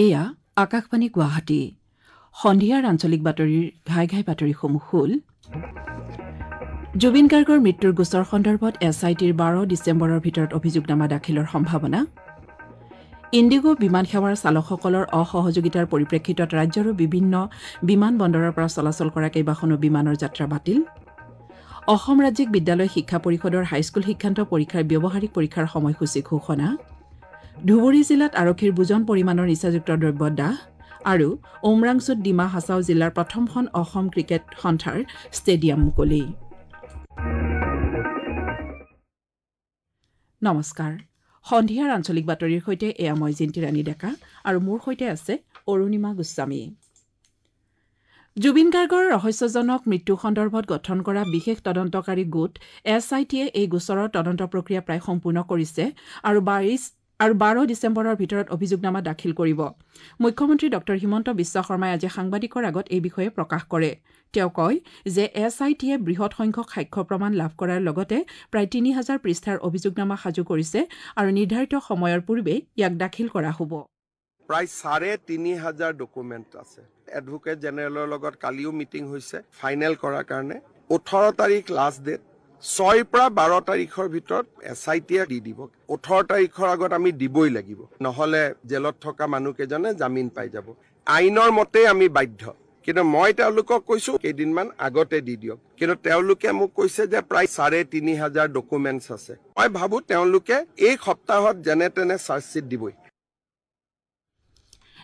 এয়া আকাশবাণী গুৱাহাটী। সন্ধিয়াৰ আঞ্চলিক বাতৰিৰ ঘাই ঘাই বাতৰিসমূহ হ'ল: জুবিন গাৰ্গৰ মৃত্যুৰ গোচৰ সন্দৰ্ভত এছ I টিৰ 12 ডিচেম্বৰৰ ভিতৰত অভিযোগনামা দাখিলৰ সম্ভাৱনা। ইণ্ডিগো বিমান সেৱাৰ চালকসকলৰ অসহযোগিতাৰ পৰিপ্ৰেক্ষিতত ৰাজ্যৰো বিভিন্ন বিমান বন্দৰৰ পৰা চলাচল কৰা কেইবাখনো বিমানৰ যাত্ৰা বাতিল। অসম ৰাজ্যিক বিদ্যালয় শিক্ষা পৰিষদৰ হাইস্কুল শিক্ষান্ত পৰীক্ষাৰ ব্যৱহাৰিক পৰীক্ষাৰ সময়সূচী ঘোষণা। ধুবুৰী জিলাত আৰক্ষীৰ বুজন পৰিমাণৰ নিচাযুক্ত দ্ৰব্য দাহ। আৰু উমৰাংছুত ডিমা হাছাও জিলাৰ প্ৰথমখন অসম ক্ৰিকেট সন্থাৰ ষ্টেডিয়াম মুকলি। নমস্কাৰ, সন্ধিয়াৰ আঞ্চলিক বাতৰিৰ সৈতে এয়া মই জিন্তি ৰাণী ডেকা আৰু মোৰ সৈতে আছে অৰুণিমা গোস্বামী। জুবিন গাৰ্গৰ ৰহস্যজনক মৃত্যু সন্দৰ্ভত গঠন কৰা বিশেষ তদন্তকাৰী গোট এছ I টিয়ে এই গোচৰৰ তদন্ত প্ৰক্ৰিয়া প্ৰায় সম্পূৰ্ণ কৰিছে আৰু 12 ডিচেম্বৰৰ ভিতৰত অভিযোগনামা দাখিল কৰিব। মুখ্যমন্ত্ৰী ডঃ হিমন্ত বিশ্ব শৰ্মাই আজি সাংবাদিকৰ আগত এই বিষয়ে প্ৰকাশ কৰে। তেওঁ কয় যে এছ I টিয়ে বৃহৎ সংখ্যক সাক্ষ্য প্ৰমাণ লাভ কৰাৰ লগতে প্ৰায় 3000 পৃষ্ঠাৰ অভিযোগনামা সাজু কৰিছে আৰু নিৰ্ধাৰিত সময়ৰ পূৰ্বেই ইয়াক দাখিল কৰা হ'ব। প্ৰায় 3500 ডকুমেণ্ট আছে। এডভোকেট জেনেৰেলৰ লগত কালিও মিটিং হৈছে ফাইনেল কৰাৰ কাৰণে। 18 তাৰিখ লাষ্ট ডেট, 6 পৰা 12 তাৰিখৰ ভিতৰত এছ I টিয়ে দি দিব। 18 তাৰিখৰ আগত আমি দিবই লাগিব, নহ'লে জেলত থকা মানুহকেইজনে জামিন পাই যাব। আইনৰ মতে আমি বাধ্য, কিন্তু মই তেওঁলোকক কৈছোঁ কেইদিনমান আগতে দি দিয়ক। কিন্তু তেওঁলোকে মোক কৈছে যে প্ৰায় 3500 ডকুমেণ্টছ আছে। মই ভাবোঁ তেওঁলোকে এই সপ্তাহত যেনে তেনে চাৰ্জশ্বিট দিবই।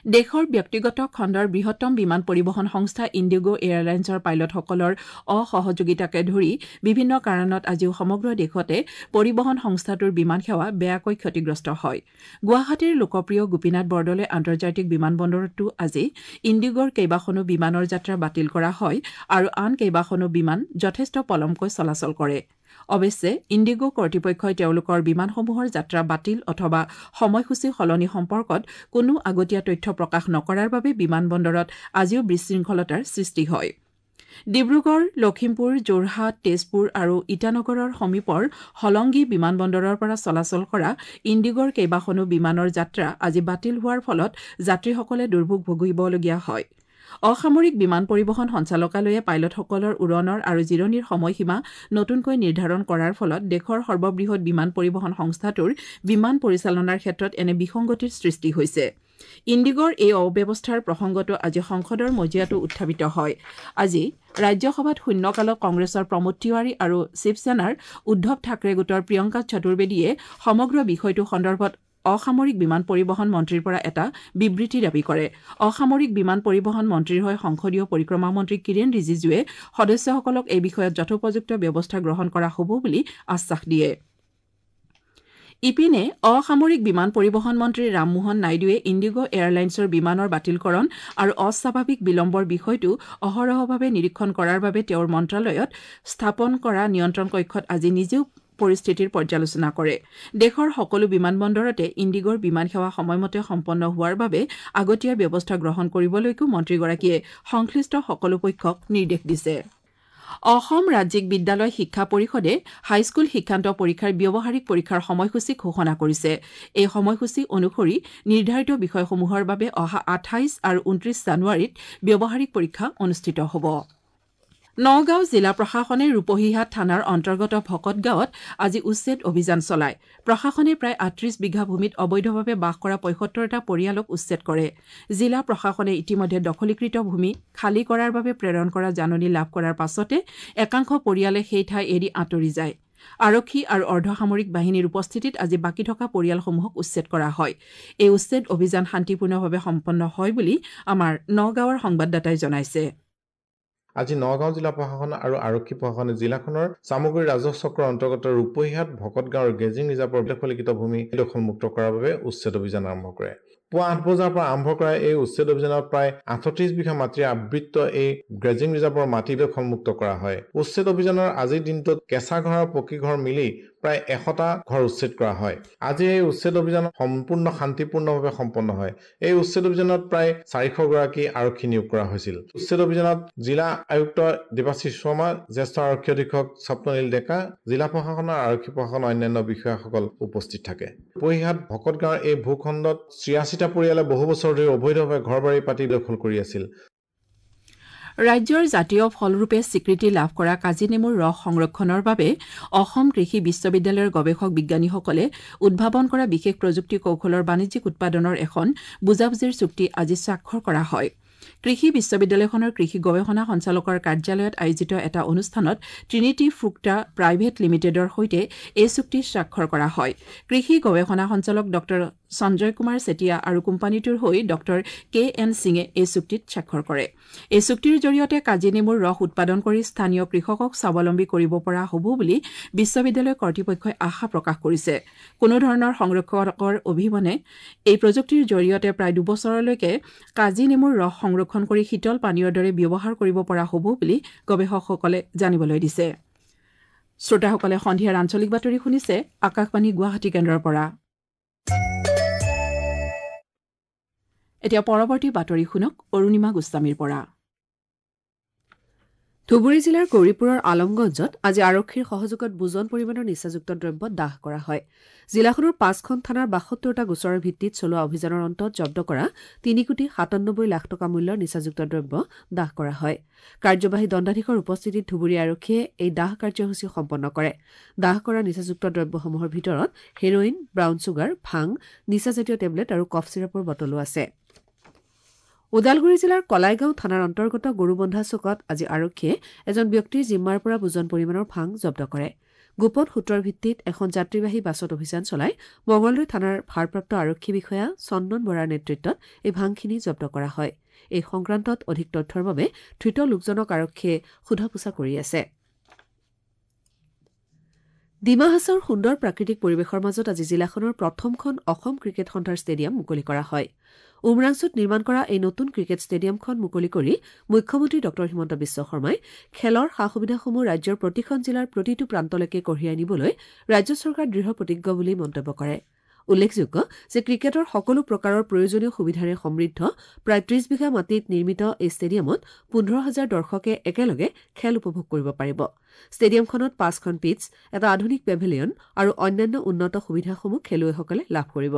দেশৰ ব্যক্তিগত খণ্ডৰ বৃহত্তম বিমান পৰিবহণ সংস্থা ইণ্ডিগো এয়াৰলাইন্সৰ পাইলটসকলৰ অসহযোগিতাকে ধৰি বিভিন্ন কাৰণত আজিও সমগ্ৰ দেশতে পৰিবহণ সংস্থাটোৰ বিমান সেৱা বেয়াকৈ ক্ষতিগ্ৰস্ত হয়। গুৱাহাটীৰ লোকপ্ৰিয় গোপীনাথ বৰদলৈ আন্তৰ্জাতিক বিমানবন্দৰতো আজি ইণ্ডিগোৰ কেইবাখনো বিমানৰ যাত্ৰা বাতিল কৰা হয় আৰু আন কেইবাখনো বিমান যথেষ্ট পলমকৈ চলাচল কৰে। অৱশ্যে ইণ্ডিগো কৰ্তৃপক্ষই তেওঁলোকৰ বিমানসমূহৰ যাত্ৰা বাতিল অথবা সময়সূচী সলনি সম্পৰ্কত কোনো আগতীয়া তথ্য প্ৰকাশ নকৰাৰ বাবে বিমানবন্দৰত আজিও বিশৃংখলতাৰ সৃষ্টি হয়। ডিব্ৰুগড়, লখিমপুৰ, যোৰহাট, তেজপুৰ আৰু ইটানগৰৰ সমীপৰ হলংগী বিমানবন্দৰৰ পৰা চলাচল কৰা ইণ্ডিগোৰ কেইবাখনো বিমানৰ যাত্ৰা আজি বাতিল হোৱাৰ ফলত যাত্ৰীসকলে দুৰ্ভোগ ভুগিবলগীয়া হয়। অসামৰিক বিমান পৰিবহণ সঞ্চালকালয়ে পাইলটসকলৰ উৰণৰ আৰু জিৰণিৰ সময়সীমা নতুনকৈ নিৰ্ধাৰণ কৰাৰ ফলত দেশৰ সৰ্ববৃহৎ বিমান পৰিবহণ সংস্থাটোৰ বিমান পৰিচালনাৰ ক্ষেত্ৰত এনে বিসংগতিৰ সৃষ্টি হৈছে। ইণ্ডিগোৰ এই অব্যৱস্থাৰ প্ৰসংগটো আজি সংসদৰ মজিয়াতো উত্থাপিত হয়। আজি ৰাজ্যসভাত শূন্যকালত কংগ্ৰেছৰ প্ৰমোদ তিৱাৰী আৰু শিৱসেনাৰ উদ্ধৱ ঠাকৰে গোটৰ প্ৰিয়ংকা চতুৰ্বেদীয়ে সমগ্ৰ বিষয়টো সন্দৰ্ভত অসামৰিক বিমান পৰিবহণ মন্ত্ৰীৰ পৰা এটা বিবৃতি দাবী কৰে। অসামৰিক বিমান পৰিবহণ মন্ত্ৰীৰ হৈ সংসদীয় পৰিক্ৰমা মন্ত্ৰী কিৰেণ ৰিজিজুৱে সদস্যসকলক এই বিষয়ত যথোপযুক্ত ব্যৱস্থা গ্ৰহণ কৰা হ'ব বুলি আশ্বাস দিয়ে। ইপিনে অসামৰিক বিমান পৰিবহণ মন্ত্ৰী ৰামমোহন নাইডুৱে ইণ্ডিগো এয়াৰলাইন্সৰ বিমানৰ বাতিলকৰণ আৰু অস্বাভাৱিক বিলম্বৰ বিষয়টো অহৰহভাৱে নিৰীক্ষণ কৰাৰ বাবে তেওঁৰ মন্ত্ৰালয়ত স্থাপন কৰা নিয়ন্ত্ৰণ কক্ষত আজি নিজেও পৰিস্থিতিৰ পৰ্যালোচনা কৰে। দেশৰ সকলো বিমানবন্দৰতে ইণ্ডিগোৰ বিমান সেৱা সময়মতে সম্পন্ন হোৱাৰ বাবে আগতীয়া ব্যৱস্থা গ্ৰহণ কৰিবলৈকো মন্ত্ৰীগৰাকীয়ে সংশ্লিষ্ট সকলো পক্ষক নিৰ্দেশ দিছে। অসম ৰাজ্যিক বিদ্যালয় শিক্ষা পৰিষদে হাইস্কুল শিক্ষান্ত পৰীক্ষাৰ ব্যৱহাৰিক পৰীক্ষাৰ সময়সূচী ঘোষণা কৰিছে। এই সময়সূচী অনুসৰি নিৰ্ধাৰিত বিষয়সমূহৰ বাবে অহা 28 আৰু 29 জানুৱাৰীত ব্যৱহাৰিক পৰীক্ষা অনুষ্ঠিত হ'ব। নগাঁও জিলা প্ৰশাসনে ৰূপহীহাট থানাৰ অন্তৰ্গত ভকতগাঁৱত আজি উচ্ছেদ অভিযান চলায়। প্ৰশাসনে প্ৰায় 38 বিঘা ভূমিত অবৈধভাৱে বাস কৰা 75টা পৰিয়ালক উচ্ছেদ কৰে। জিলা প্ৰশাসনে ইতিমধ্যে দখলীকৃত ভূমি খালী কৰাৰ বাবে প্ৰেৰণ কৰা জাননী লাভ কৰাৰ পাছতে একাংশ পৰিয়ালে সেই ঠাই এৰি আঁতৰি যায়। আৰক্ষী আৰু অৰ্ধসামৰিক বাহিনীৰ উপস্থিতিত আজি বাকী থকা পৰিয়ালসমূহক উচ্ছেদ কৰা হয়। এই উচ্ছেদ অভিযান শান্তিপূৰ্ণভাৱে সম্পন্ন হয় বুলি আমাৰ নগাঁৱৰ সংবাদদাতাই জনাইছে। আজি নগাঁও জিলা প্ৰশাসন আৰু আৰক্ষী প্ৰশাসনে জিলাখনৰ চামগুৰি ৰাজহ চক্ৰৰ অন্তৰ্গত ৰূপহীহাট ভকতগাঁৱৰ গেজিং ৰিজাৰ্ভৰ দখলীকৃত ভূমি দখলমুক্ত কৰাৰ বাবে উচ্ছেদ অভিযান আৰম্ভ কৰে। পুৱা 8 বজাৰ পৰা আৰম্ভ কৰা এই উচ্ছেদ অভিযানত প্ৰায় 38 বিঘা মাটিৰে আবৃত এই গ্ৰেজিং ৰিজাৰ্ভৰ মাটি দখলমুক্ত কৰা হয়। উচ্ছেদ অভিযানৰ আজিৰ দিনটোত কেঁচা ঘৰ আৰু পকী ঘৰ মিলি প্ৰায় 100টা ঘৰ উচ্ছেদ কৰা হয়। আজি এই উচ্ছেদ অভিযান সম্পূৰ্ণ শান্তিপূৰ্ণভাৱে সম্পন্ন হয়। এই উচ্ছেদ অভিযানত প্ৰায় 400 গৰাকী আৰক্ষী নিয়োগ কৰা হৈছিল। উচ্ছেদ অভিযানত জিলা আয়ুক্ত দেৱাশীষ শৰ্মা, জ্যেষ্ঠ আৰক্ষী অধীক্ষক স্বপ্ননীল ডেকা, জিলা প্ৰশাসনৰ আৰক্ষী প্ৰশাসনৰ অন্যান্য বিষয়াসকল উপস্থিত থাকে। ৰূপহীহাট ভকতগাঁৱৰ এই ভূখণ্ডত 86টা পাঁচিটা পৰিয়ালে বহু বছৰ ধৰি অবৈধভাৱে ঘৰ-বাৰী পাতি দখল কৰি আছিল। ৰাজ্যৰ জাতীয় ফলৰূপে স্বীকৃতি লাভ কৰা কাজি নেমুৰ ৰস সংৰক্ষণৰ বাবে অসম কৃষি বিশ্ববিদ্যালয়ৰ গৱেষক বিজ্ঞানীসকলে উদ্ভাৱন কৰা বিশেষ প্ৰযুক্তি কৌশলৰ বাণিজ্যিক উৎপাদনৰ এখন বুজাবুজিৰ চুক্তি আজি স্বাক্ষৰ কৰা হয়। কৃষি বিশ্ববিদ্যালয়খনৰ কৃষি গৱেষণা সঞ্চালকৰ কাৰ্যালয়ত আয়োজিত এটা অনুষ্ঠানত ট্ৰিনিটি ফ্ৰুক্টা প্ৰাইভেট লিমিটেডৰ সৈতে এই চুক্তি স্বাক্ষৰ কৰা হয়। কৃষি গৱেষণা সঞ্চালক ডঃ সঞ্জয় কুমাৰ চেতিয়া আৰু কোম্পানীটোৰ হৈ ডঃ কে এন সিঙে এই চুক্তিত স্বাক্ষৰ কৰে। এই চুক্তিৰ জৰিয়তে কাজি নেমুৰ ৰস উৎপাদন কৰি স্থানীয় কৃষকক স্বাৱলম্বী কৰিব পৰা হ'ব বুলি বিশ্ববিদ্যালয় কৰ্তৃপক্ষই আশা প্ৰকাশ কৰিছে। কোনো ধৰণৰ সংৰক্ষকৰ অবিহনে এই প্ৰযুক্তিৰ জৰিয়তে প্ৰায় 2 বছৰলৈকে কাজি নেমুৰ ৰস সংৰক্ষণ কৰি শীতল পানীয়ৰ দৰে ব্যৱহাৰ কৰিব পৰা হ'ব বুলি গৱেষকসকলে জানিবলৈ দিছে। শ্ৰোতাসকলে সন্ধিয়াৰ আঞ্চলিক বাতৰি শুনিছে আকাশবাণী গুৱাহাটী কেন্দ্ৰৰ পৰা। এতিয়া পৰৱৰ্তী বাতৰি শুনক অৰুণিমা গোস্বামীৰ পৰা। ধুবুৰী জিলাৰ গৌৰীপুৰৰ আলমগঞ্জত আজি আৰক্ষীৰ সহযোগত বুজন পৰিমাণৰ নিচাযুক্ত দ্ৰব্য দাহ কৰা হয়। জিলাখনৰ পাঁচখন থানাৰ 72টা গোচৰৰ ভিত্তিত চলোৱা অভিযানৰ অন্তত জব্দ কৰা 3 কোটি 97 লাখ টকা মূল্যৰ নিচাযুক্ত দ্ৰব্য দাহ কৰা হয়। কাৰ্যবাহী দণ্ডাধীশৰ উপস্থিতিত ধুবুৰী আৰক্ষীয়ে এই দাহ কাৰ্যসূচী সম্পন্ন কৰে। দাহ কৰা নিচাযুক্ত দ্ৰব্যসমূহৰ ভিতৰত হেৰইন, ব্ৰাউন ছুগাৰ, ভাং, নিচাজাতীয় টেবলেট আৰু কফ চিৰাপৰ বটলো আছে। ওদালগুৰি জিলাৰ কলাইগাঁও থানাৰ অন্তৰ্গত গৰুবন্ধা চকত আজি আৰক্ষীয়ে এজন ব্যক্তিৰ জিম্মাৰ পৰা বুজন পৰিমাণৰ ভাং জব্দ কৰে। গোপন সূত্ৰৰ ভিত্তিত এখন যাত্ৰীবাহী বাছত অভিযান চলাই মঙলদৈ থানাৰ ভাৰপ্ৰাপ্ত আৰক্ষী বিষয়া চন্দন বৰাৰ নেতৃত্বত এই ভাংখিনি জব্দ কৰা হয়। এই সংক্ৰান্তত অধিক তথ্যৰ বাবে ধৃত লোকজনক আৰক্ষীয়ে সোধা পোছা কৰি আছে। ডিমা হাছাওৰ সুন্দৰ প্ৰাকৃতিক পৰিৱেশৰ মাজত আজি জিলাখনৰ প্ৰথমখন অসম ক্ৰিকেট সন্থাৰ ষ্টেডিয়াম মুকলি কৰা হয়। উমৰাংছুত নিৰ্মাণ কৰা এই নতুন ক্ৰিকেট ষ্টেডিয়ামখন মুকলি কৰি মুখ্যমন্ত্ৰী ডঃ হিমন্ত বিশ্ব শৰ্মাই খেলৰ সা সুবিধাসমূহ ৰাজ্যৰ প্ৰতিখন জিলাৰ প্ৰতিটো প্ৰান্তলৈকে কঢ়িয়াই নিবলৈ ৰাজ্য চৰকাৰ দৃঢ় প্ৰতিজ্ঞ বুলি মন্তব্য কৰে। উল্লেখযোগ্য যে ক্ৰিকেটৰ সকলো প্ৰকাৰৰ প্ৰয়োজনীয় সুবিধাৰে সমৃদ্ধ প্ৰায় 30 বিঘা মাটিত নিৰ্মিত এই ষ্টেডিয়ামত 15 হাজাৰ দৰ্শকে একেলগে খেল উপভোগ কৰিব পাৰিব। ষ্টেডিয়ামখনত পাঁচখন পিটছ, এটা আধুনিক পেভিলিয়ন আৰু অন্যান্য উন্নত সুবিধাসমূহ খেলুৱৈসকলে লাভ কৰিব।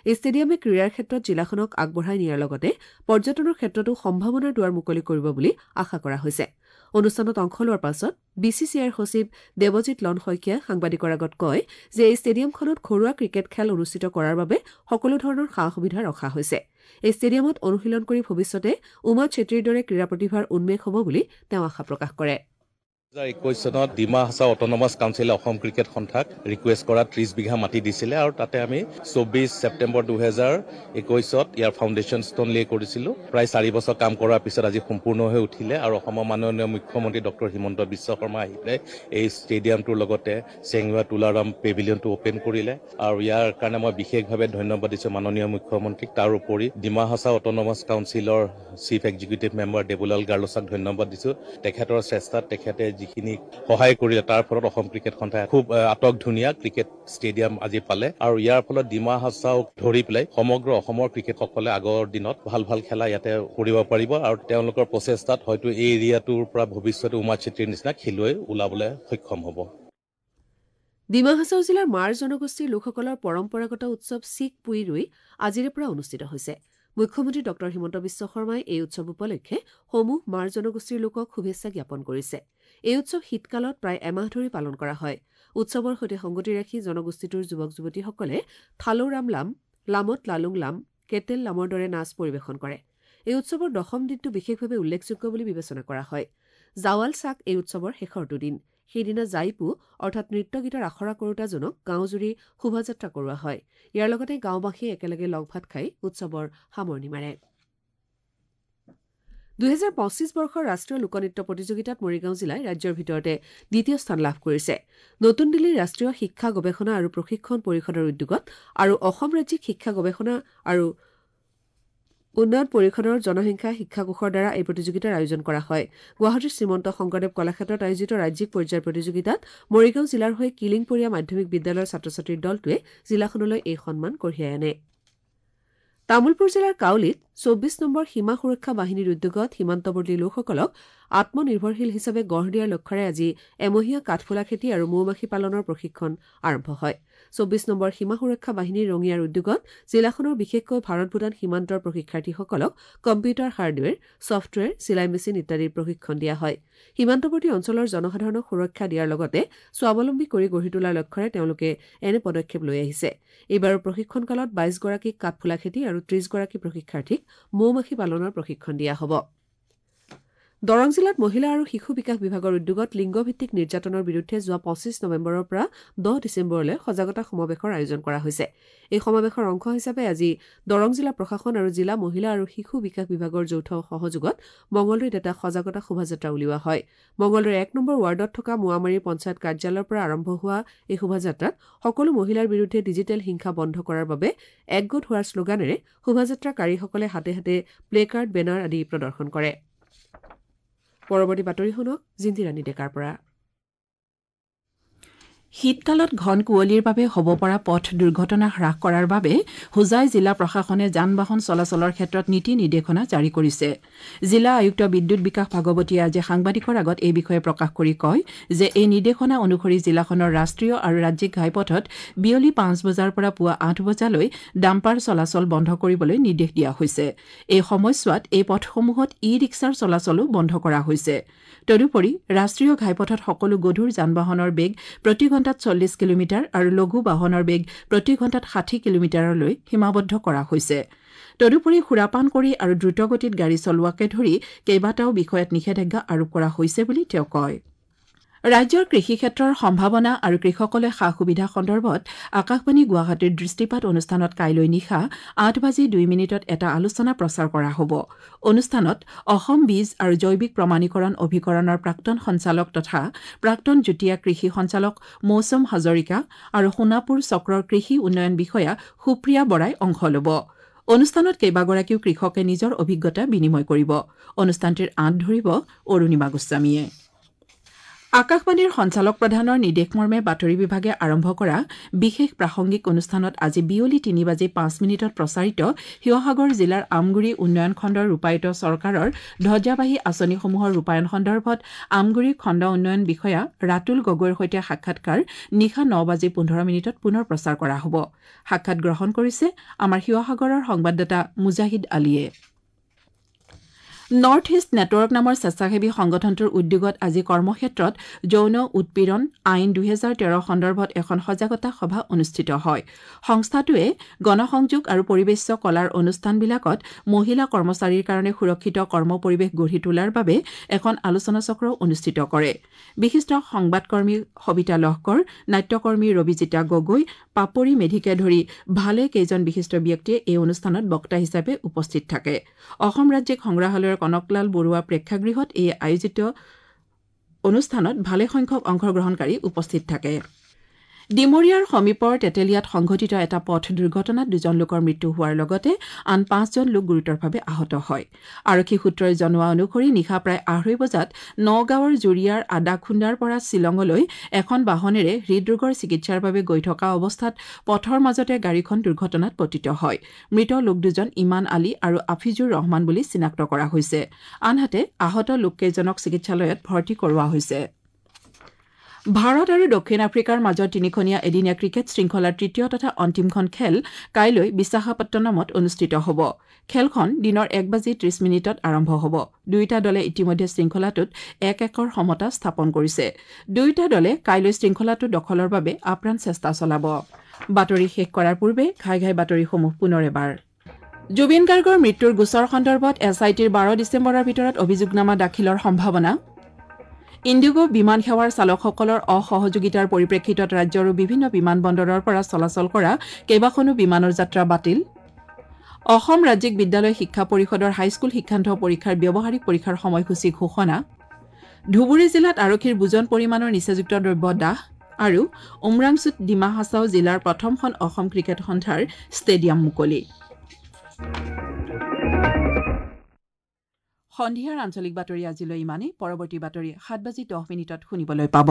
এই ষ্টেডিয়ামে ক্ৰীড়াৰ ক্ষেত্ৰত জিলাখনক আগবঢ়াই নিয়াৰ লগতে পৰ্যটনৰ ক্ষেত্ৰতো সম্ভাৱনাৰ দুৱাৰ মুকলি কৰিব বুলি আশা কৰা হৈছে। অনুষ্ঠানত অংশ লোৱাৰ পাছত বি চি চি আইৰ সচিব দেৱজিৎ লন শইকীয়াই সাংবাদিকৰ আগত কয় যে এই ষ্টেডিয়ামখনত ঘৰুৱা ক্ৰিকেট খেল অনুষ্ঠিত কৰাৰ বাবে সকলো ধৰণৰ সা সুবিধা ৰখা হৈছে। এই ষ্টেডিয়ামত অনুশীলন কৰি ভৱিষ্যতে উমা চেত্ৰীৰ দৰে ক্ৰীড়া প্ৰতিভাৰ উন্মেষ হ'ব বুলি তেওঁ আশা প্ৰকাশ কৰে। 2021 চনত ডিমা হাছাও অট'নমাছ কাউন্সিলে অসম ক্ৰিকেট সন্থাক ৰিকুৱেষ্ট কৰা 30 বিঘা মাটি দিছিলে আৰু তাতে আমি 24 ছেপ্টেম্বৰ 2021ত ইয়াৰ ফাউণ্ডেশ্যন ষ্ট'ন লে কৰিছিলোঁ। প্ৰায় 4 বছৰ কাম কৰাৰ পিছত আজি সম্পূৰ্ণ হৈ উঠিলে আৰু অসমৰ মাননীয় মুখ্যমন্ত্ৰী ডক্টৰ হিমন্ত বিশ্ব শৰ্মা আহি পেলাই এই ষ্টেডিয়ামটোৰ লগতে চেংৱা তুলাৰাম পেভিলিয়নটো অ'পেন কৰিলে আৰু ইয়াৰ কাৰণে মই বিশেষভাৱে ধন্যবাদ দিছোঁ মাননীয় মুখ্যমন্ত্ৰীক। তাৰোপৰি ডিমা হাছাও অট'নমাছ কাউন্সিলৰ chief executive member Devlal Garlosa ধন্যবাদ দিছোঁ। তেখেতৰ চেষ্টাত তেখেতে যিখিনি সহায় কৰিলে, তাৰ ফলত অসম ক্ৰিকেট সন্থাই খুব আটক ধুনীয়া ক্ৰিকেট ষ্টেডিয়াম আজি পালে আৰু ইয়াৰ ফলত ডিমা হাছাওক ধৰি পেলাই সমগ্ৰ অসমৰ ক্ৰিকেটসকলে আগৰ দিনত ভাল ভাল খেলা ইয়াতে কৰিব পাৰিব আৰু তেওঁলোকৰ প্ৰচেষ্টাত হয়তো এই এৰিয়াটোৰ পৰা ভৱিষ্যতে উমা চেত্ৰীৰ নিচিনা খেলুৱৈ ওলাবলৈ সক্ষম হ'ব। ডিমা হাছাও জিলাৰ মাৰ জনগোষ্ঠীৰ লোকসকলৰ পৰম্পৰাগত উৎসৱ চিক পুই ৰুই আজিৰে পৰা অনুষ্ঠিত হৈছে। মুখ্যমন্ত্ৰী ডঃ হিমন্ত বিশ্ব শৰ্মাই এই উৎসৱ উপলক্ষে সমূহ মাৰ জনগোষ্ঠীৰ লোকক শুভেচ্ছা জ্ঞাপন কৰিছে। এই উৎসৱ শীতকালত প্ৰায় এমাহ ধৰি পালন কৰা হয়। উৎসৱৰ সৈতে সংগতি ৰাখি জনগোষ্ঠীটোৰ যুৱক যুৱতীসকলে থালৌৰাম লাম, লামত লালুং লাম, কেটেল লামৰ দৰে নাচ পৰিৱেশন কৰে। এই উৎসৱৰ দশম দিনটো বিশেষভাৱে উল্লেখযোগ্য বুলি বিবেচনা কৰা হয়। জাৱাল চাক এই উৎসৱৰ শেষৰটো দিন। সেইদিনা জাইপু অৰ্থাৎ নৃত্য গীতৰ আখৰা কৰোতাজনক গাঁওজুৰি শোভাযাত্ৰা কৰোৱা হয়। ইয়াৰ লগতে গাঁওবাসীয়ে একেলগে লগ ভাত খাই উৎসৱৰ সামৰণি মাৰে। 2025 বৰ্ষৰ ৰাষ্ট্ৰীয় লোকনৃত্য প্ৰতিযোগিতাত মৰিগাঁও জিলাই ৰাজ্যৰ ভিতৰতে দ্বিতীয় স্থান লাভ কৰিছে। নতুন দিল্লীৰ ৰাষ্ট্ৰীয় শিক্ষা গৱেষণা আৰু প্ৰশিক্ষণ পৰিষদৰ উদ্যোগত আৰু অসম ৰাজ্যিক শিক্ষা গৱেষণা আৰু উন্নয়ন পৰিষদৰ জনসংখ্যা শিক্ষা কোষৰ দ্বাৰা এই প্ৰতিযোগিতাৰ আয়োজন কৰা হয়। গুৱাহাটীৰ শ্ৰীমন্ত শংকৰদেৱ কলাক্ষেত্ৰত আয়োজিত ৰাজ্যিক পৰ্যায়ৰ প্ৰতিযোগিতাত মৰিগাঁও জিলাৰ হৈ কিলিংপৰীয়া মাধ্যমিক বিদ্যালয়ৰ ছাত্ৰ ছাত্ৰীৰ দলটোৱে জিলাখনলৈ এই সন্মান কঢ়িয়াই আনে। তামুলপুৰ জিলাৰ কাউলীত 24 নম্বৰ সীমা সুৰক্ষা বাহিনীৰ উদ্যোগত সীমান্তৱৰ্তী লোকসকলক আত্মনিৰ্ভৰশীল হিচাপে গঢ় দিয়াৰ লক্ষ্যৰে আজি এমহীয়া কাঠফুলা খেতি আৰু মৌ-মাখি পালনৰ প্ৰশিক্ষণ আৰম্ভ হয়। 24 নম্বৰ সীমা সুৰক্ষা বাহিনীৰ ৰঙিয়াৰ উদ্যোগত জিলাখনৰ বিশেষকৈ ভাৰত ভূটান সীমান্তৰ প্ৰশিক্ষাৰ্থীসকলক কম্পিউটাৰ হাৰ্ডৱেৰ, ছফ্টৱেৰ, চিলাই মেচিন ইত্যাদিৰ প্ৰশিক্ষণ দিয়া হয়। সীমান্তৱৰ্তী অঞ্চলৰ জনসাধাৰণক সুৰক্ষা দিয়াৰ লগতে স্বাৱলম্বী কৰি গঢ়ি তোলাৰ লক্ষ্যৰে তেওঁলোকে এনে পদক্ষেপ লৈ আহিছে। এইবাৰৰ প্ৰশিক্ষণকালত 22 গৰাকীক কাঠফুলা খেতি আৰু 30 গৰাকী প্ৰশিক্ষাৰ্থীক মৌ-মাখি পালনৰ প্ৰশিক্ষণ দিয়া হ'ব। দৰং জিলাত মহিলা আৰু শিশু বিকাশ বিভাগৰ উদ্যোগত লিংগভিত্তিক নিৰ্যাতনৰ বিৰুদ্ধে যোৱা 25 নৱেম্বৰৰ পৰা 10 ডিচেম্বৰলৈ সজাগতা সমাৱেশৰ আয়োজন কৰা হৈছে। এই সমাৱেশৰ অংশ হিচাপে আজি দৰং জিলা প্ৰশাসন আৰু জিলা মহিলা আৰু শিশু বিকাশ বিভাগৰ যৌথ সহযোগত মঙলদৈত এটা সজাগতা শোভাযাত্ৰা উলিওৱা হয়। মঙলদৈৰ 1 নম্বৰ ৱাৰ্ডত থকা মোৱামাৰী পঞ্চায়ত কাৰ্যালয়ৰ পৰা আৰম্ভ হোৱা এই শোভাযাত্ৰাত সকলো মহিলাৰ বিৰুদ্ধে ডিজিটেল হিংসা বন্ধ কৰাৰ বাবে একগোট হোৱাৰ শ্লোগানেৰে শোভাযাত্ৰাকাৰীসকলে হাতে হাতে প্লেকাৰ্ড, বেনাৰ আদি প্ৰদৰ্শন কৰে। পৰৱৰ্তী বাতৰি শুনক জিন্তিৰাণী ডেকাৰ পৰা। শীতকালত ঘন কুঁৱলীৰ বাবে হ'ব পৰা পথ দুৰ্ঘটনা হ্ৰাস কৰাৰ বাবে হোজাই জিলা প্ৰশাসনে যান বাহন চলাচলৰ ক্ষেত্ৰত নীতি নিৰ্দেশনা জাৰি কৰিছে। জিলা আয়ুক্ত বিদ্যুৎ বিকাশ ভাগৱতীয়ে আজি সাংবাদিকৰ আগত এই বিষয়ে প্ৰকাশ কৰি কয় যে এই নিৰ্দেশনা অনুসৰি জিলাখনৰ ৰাষ্ট্ৰীয় আৰু ৰাজ্যিক ঘাইপথত বিয়লি 5 বজাৰ পৰা পুৱা 8 বজালৈ ডাম্পাৰ চলাচল বন্ধ কৰিবলৈ নিৰ্দেশ দিয়া হৈছে। এই সময়ছোৱাত এই পথসমূহত ই ৰিক্সাৰ চলাচলো বন্ধ কৰা হৈছে। তদুপৰি ৰাষ্ট্ৰীয় ঘাইপথত সকলো গধুৰ যান বাহনৰ বেগ প্ৰতি ঘণ্টাত 40 কিলোমিটাৰ আৰু লঘু বাহনৰ বেগ প্ৰতি ঘণ্টাত 60 কিলোমিটাৰলৈ সীমাবদ্ধ কৰা হৈছে। তদুপৰি সুৰাপান কৰি আৰু দ্ৰুতগতিত গাড়ী চলোৱাকে ধৰি কেইবাটাও বিষয়ত নিষেধাজ্ঞা আৰোপ কৰা হৈছে বুলি তেওঁ কয়। ৰাজ্যৰ কৃষি ক্ষেত্ৰৰ সম্ভাৱনা আৰু কৃষকলৈ সা সুবিধা সন্দৰ্ভত আকাশবাণী গুৱাহাটীৰ দৃষ্টিপাত অনুষ্ঠানত কাইলৈ নিশা 8:02 এটা আলোচনা প্ৰচাৰ কৰা হ'ব। অনুষ্ঠানত অসম বীজ আৰু জৈৱিক প্ৰমাণীকৰণ অভিকৰণৰ প্ৰাক্তন সঞ্চালক তথা প্ৰাক্তন যুটীয়া কৃষি সঞ্চালক মৌচম হাজৰিকা আৰু সোণাপুৰ চক্ৰৰ কৃষি উন্নয়ন বিষয়া সুপ্ৰিয়া বৰাই অংশ ল'ব। অনুষ্ঠানত কেইবাগৰাকীও কৃষকে নিজৰ অভিজ্ঞতা বিনিময় কৰিব। অনুষ্ঠানটিৰ আঁত ধৰিব অৰুণিমা গোস্বামীয়ে। আকাশবাণীৰ সঞ্চালক প্ৰধানৰ নিৰ্দেশমৰ্মে বাতৰি বিভাগে আৰম্ভ কৰা বিশেষ প্ৰাসংগিক অনুষ্ঠানত আজি বিয়লি 3:05 প্ৰচাৰিত শিৱসাগৰ জিলাৰ আমগুৰি উন্নয়ন খণ্ডৰ ৰূপায়িত চৰকাৰৰ ধ্বজাবাহী আঁচনিসমূহৰ ৰূপায়ণ সন্দৰ্ভত আমগুৰি খণ্ড উন্নয়ন বিষয়া ৰাতুল গগৈৰ সৈতে সাক্ষাৎকাৰ নিশা 9:15 পুনৰ প্ৰচাৰ কৰা হ'ব। সাক্ষাৎ গ্ৰহণ কৰিছে আমাৰ শিৱসাগৰৰ সংবাদদাতা মুজাহিদ আলীয়ে। নৰ্থ ইষ্ট নেটৱৰ্ক নামৰ স্বেচ্ছাসেৱী সংগঠনটোৰ উদ্যোগত আজি কৰ্মক্ষেত্ৰত যৌন উৎপীড়ন আইন 2013 সন্দৰ্ভত এখন সজাগতা সভা অনুষ্ঠিত হয়। সংস্থাটোৱে গণসংযোগ আৰু পৰিৱেশ্য কলাৰ অনুষ্ঠানবিলাকত মহিলা কৰ্মচাৰীৰ কাৰণে সুৰক্ষিত কৰ্ম পৰিৱেশ গঢ়ি তোলাৰ বাবে এখন আলোচনাচক্ৰ অনুষ্ঠিত কৰে। বিশিষ্ট সংবাদকৰ্মী সবিতা লহকৰ, নাট্যকৰ্মী ৰবিজিতা গগৈ, পাপৰি মেধিকে ধৰি ভালে কেইজন বিশিষ্ট ব্যক্তিয়ে এই অনুষ্ঠানত বক্তা হিচাপে উপস্থিত থাকে। অসম ৰাজ্যিক সংগ্ৰহালয়ৰ কনকলাল বৰুৱা প্ৰেক্ষাগৃহত এই আয়োজিত অনুষ্ঠানত ভালেসংখ্যক অংশগ্ৰহণকাৰী উপস্থিত থাকে। ডিমৰীয়াৰ সমীপৰ তেতেলীয়াত সংঘটিত এটা পথ দুৰ্ঘটনাত 2জন লোকৰ মৃত্যু হোৱাৰ লগতে আন 5জন লোক গুৰুতৰভাৱে আহত হয়। আৰক্ষী সূত্ৰই জনোৱা অনুসৰি নিশা প্ৰায় 2:30 বজাত নগাঁৱৰ জুৰিয়াৰ আদাখুন্দাৰ পৰা শ্বিলঙলৈ এখন বাহনেৰে হৃদৰোগৰ চিকিৎসাৰ বাবে গৈ থকা অৱস্থাত পথৰ মাজতে গাড়ীখন দুৰ্ঘটনাত পতিত হয়। মৃত লোক দুজন ইমান আলী আৰু আফিজুৰ ৰহমান বুলি চিনাক্ত কৰা হৈছে। আনহাতে আহত লোককেইজনক চিকিৎসালয়ত ভৰ্তি কৰোৱা হৈছে। ভাৰত আৰু দক্ষিণ আফ্ৰিকাৰ মাজৰ তিনিখনীয়া এদিনীয়া ক্ৰিকেট শৃংখলাৰ তৃতীয় তথা অন্তিমখন খেল কাইলৈ বিশাখাপট্টনমত অনুষ্ঠিত হ'ব। খেলখন দিনৰ 1:30 আৰম্ভ হ'ব। দুয়োটা দলে ইতিমধ্যে শৃংখলাটোত 1-1 সমতা স্থাপন কৰিছে। দুয়োটা দলে কাইলৈ শৃংখলাটো দখলৰ বাবে আপ্ৰাণ চেষ্টা চলাব। বাতৰি শেষ কৰাৰ পূৰ্বে ঘাই ঘাই বাতৰিসমূহ পুনৰ এবাৰ। জুবিন গাৰ্গৰ মৃত্যুৰ গোচৰ সন্দৰ্ভত এছ I টিৰ 12 ডিচেম্বৰৰ ভিতৰত অভিযোগনামা দাখিলৰ সম্ভাৱনা। ইণ্ডিগো বিমান সেৱাৰ চালকসকলৰ অসহযোগিতাৰ পৰিপ্ৰেক্ষিতত ৰাজ্যৰো বিভিন্ন বিমানবন্দৰৰ পৰা চলাচল কৰা কেইবাখনো বিমানৰ যাত্ৰা বাতিল। অসম ৰাজ্যিক বিদ্যালয় শিক্ষা পৰিষদৰ হাইস্কুল শিক্ষান্ত পৰীক্ষাৰ ব্যৱহাৰিক পৰীক্ষাৰ সময়সূচী ঘোষণা। ধুবুৰী জিলাত আৰক্ষীৰ বুজন পৰিমাণৰ নিচাযুক্ত দ্ৰব্য দাহ আৰু উমৰাংচুত ডিমা হাছাও জিলাৰ প্ৰথমখন অসম ক্ৰিকেট সন্থাৰ ষ্টেডিয়াম মুকলি। সন্ধিয়াৰ আঞ্চলিক বাতৰি আজিলৈ ইমানেই। পৰৱৰ্তী বাতৰি 7:10 শুনিবলৈ পাব।